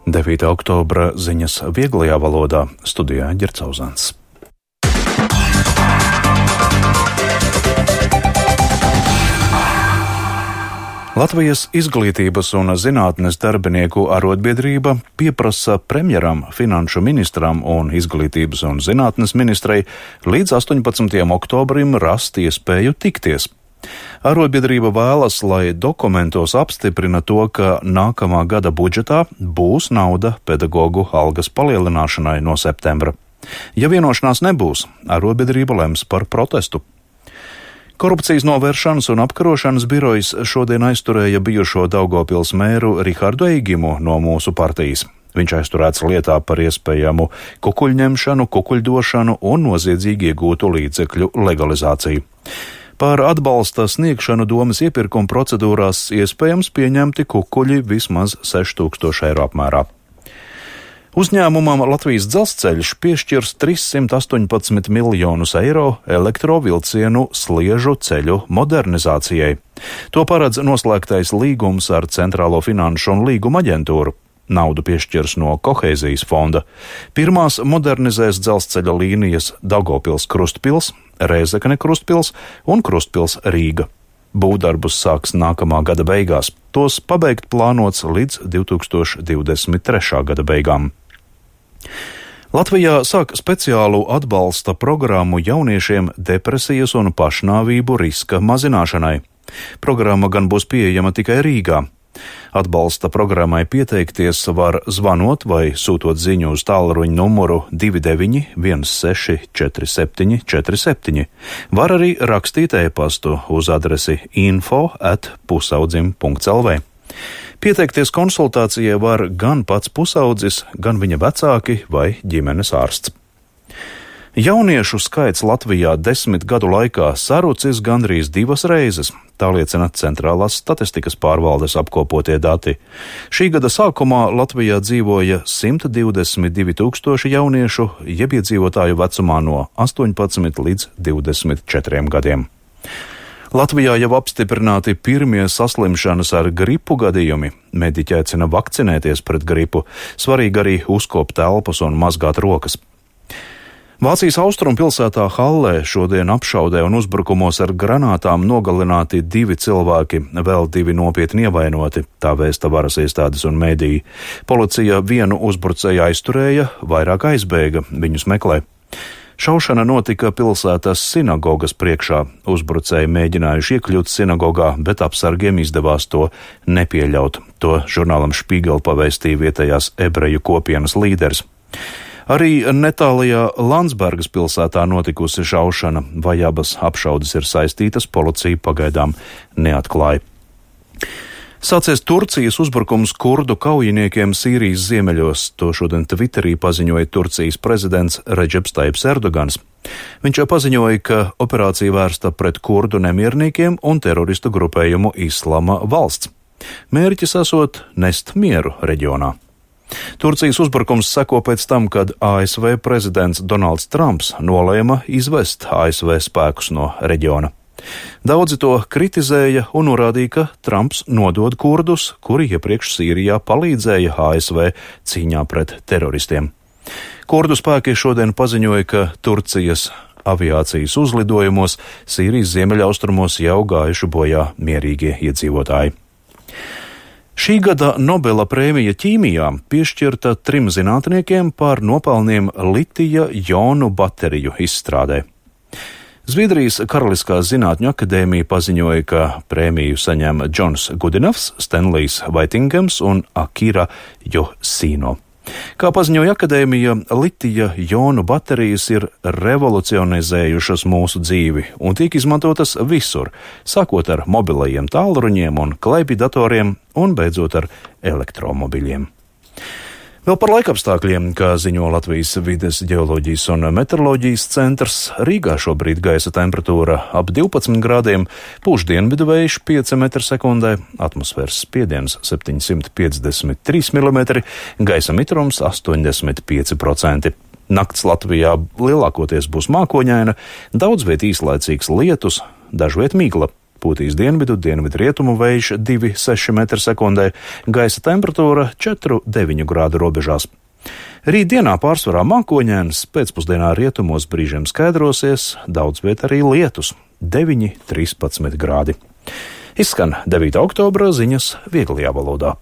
9. oktobra ziņas vieglajā valodā, studijā Ģercauzāns. Latvijas izglītības un zinātnes darbinieku arotbiedrība pieprasa premjeram, finanšu ministram un izglītības un zinātnes ministrei līdz 18. oktobrim rast iespēju tikties. Arotbiedrība vēlas, lai dokumentos apstiprina to, ka nākamā gada budžetā būs nauda pedagoģu algas palielināšanai no septembra. Ja vienošanās nebūs, arotbiedrība lems par protestu. Korupcijas novēršanas un apkarošanas birojas šodien aizturēja bijušo Daugavpils mēru Rihardu Eigimu no mūsu partijas. Viņš aizturēts lietā par iespējamu kukuļņemšanu, kukuļdošanu un noziedzīgi iegūtu līdzekļu legalizāciju. Par atbalsta sniegšanu domas iepirkuma procedūrās iespējams pieņemti kukuļi vismaz 6,000 eiro apmērā. Uzņēmumam Latvijas Dzelzceļš piešķirs 318 miljonus eiro elektrovilcienu sliežu ceļu modernizācijai. To paredz noslēgtais līgums ar Centrālo finanšu un līguma aģentūru. Naudu piešķirs no kohēzijas fonda. Pirmās modernizēs dzelzceļa līnijas Daugavpils Krustpils, Rēzekne Krustpils un Krustpils Rīga. Būvdarbus sāks nākamā gada beigās. Tos pabeigt plānots līdz 2023. gada beigām. Latvijā sāk speciālu atbalsta programmu jauniešiem depresijas un pašnāvību riska mazināšanai. Programma gan būs pieejama tikai Rīgā. Atbalsta programmai pieteikties var zvanot vai sūtot ziņu uz tālruņa numuru 29 16 47 47. Var arī rakstīt e-pastu uz adresi info@pusaudzim.lv. Pieteikties konsultācijai var gan pats pusaudzis, gan viņa vecāki vai ģimenes ārsts. Jauniešu skaits Latvijā 10 gadu laikā sarucis gandrīz 2 reizes, tā liecina Centrālās statistikas pārvaldes apkopotie dati. Šī gada sākumā Latvijā dzīvoja 122 tūkstoši jauniešu, jeb iedzīvotāju vecumā no 18 līdz 24 gadiem. Latvijā jau apstiprināti pirmie saslimšanas ar gripu gadījumi. Mediķi aicina vakcinēties pret gripu, svarīgi arī uzkopt elpas un mazgāt rokas. Vācijas austrumu pilsētā Hallē šodien apšaudē un uzbrukumos ar granātām nogalināti 2 cilvēki, vēl 2 nopietni ievainoti, tā vēsta varas iestādes un mediji. Policija vienu uzbrucēju aizturēja, vairāk aizbēga, viņus meklē. Šaušana notika pilsētas sinagogas priekšā. Uzbrucēji mēģinājuši iekļūt sinagogā, bet apsargiem izdevās to nepieļaut. To žurnālam Špīgel pavēstīja vietējās ebreju kopienas līderis. Arī netālajā Landsbergas pilsētā notikusi šaušana, vai abas apšaudes ir saistītas, policija pagaidām neatklāja. Sācies Turcijas uzbrukums kurdu kaujiniekiem Sīrijas ziemeļos, to šodien Twitterī paziņoja Turcijas prezidents Redžeps Taips Erdogans. Viņš paziņoja, ka operācija vērsta pret kurdu nemierniekiem un teroristu grupējumu Islama valsts. Mērķis esot nest mieru reģionā. Turcijas uzbrukums seko pēc tam, kad ASV prezidents Donalds Trumps nolēma izvest ASV spēkus no reģiona. Daudzi to kritizēja un norādīja, ka Trumps nodod kurdus, kuri iepriekš Sīrijā palīdzēja ASV cīņā pret teroristiem. Kurdu spēki šodien paziņoja, ka Turcijas aviācijas uzlidojumos Sīrijas ziemeļaustrumos jau gājuši bojā mierīgie iedzīvotāji. Šī gada Nobela prēmija ķīmijā piešķirta 3 zinātniekiem par nopelniem litija-jonu bateriju izstrādē. Zviedrijas Karaliskās zinātņu akadēmija paziņoja, ka prēmiju saņem Džons Gudinavs, Stenlijs Vaitingams un Akira Josino. Kā paziņoja akadēmija, litija-jonu baterijas ir revolucionizējušas mūsu dzīvi un tiek izmantotas visur, sākot ar mobilajiem tālruņiem un kleipjdatoriem un beidzot ar elektromobiļiem. Vēl par laikapstākļiem, kā ziņo Latvijas vides ģeoloģijas un meteoroloģijas centrs, Rīgā šobrīd gaisa temperatūra ap 12 grādiem, pūš dienvidu vējš 5 m/sekundē, atmosfēras spiediens 753 mm, gaisa mitrums 85%. Nakts Latvijā lielākoties būs mākoņaina, daudz viet īslaicīgs lietus, dažviet migla. pūtīs dienvidu rietumu vējš 2,6 m/sekundē, gaisa temperatūra 4,9 grādu robežās. Rītdienā pārsvarā mākoņēns, pēcpusdienā rietumos brīžiem skaidrosies, daudz viet arī lietus - 9,13 grādi. Izskan 9. oktobra ziņas vieglajā valodā.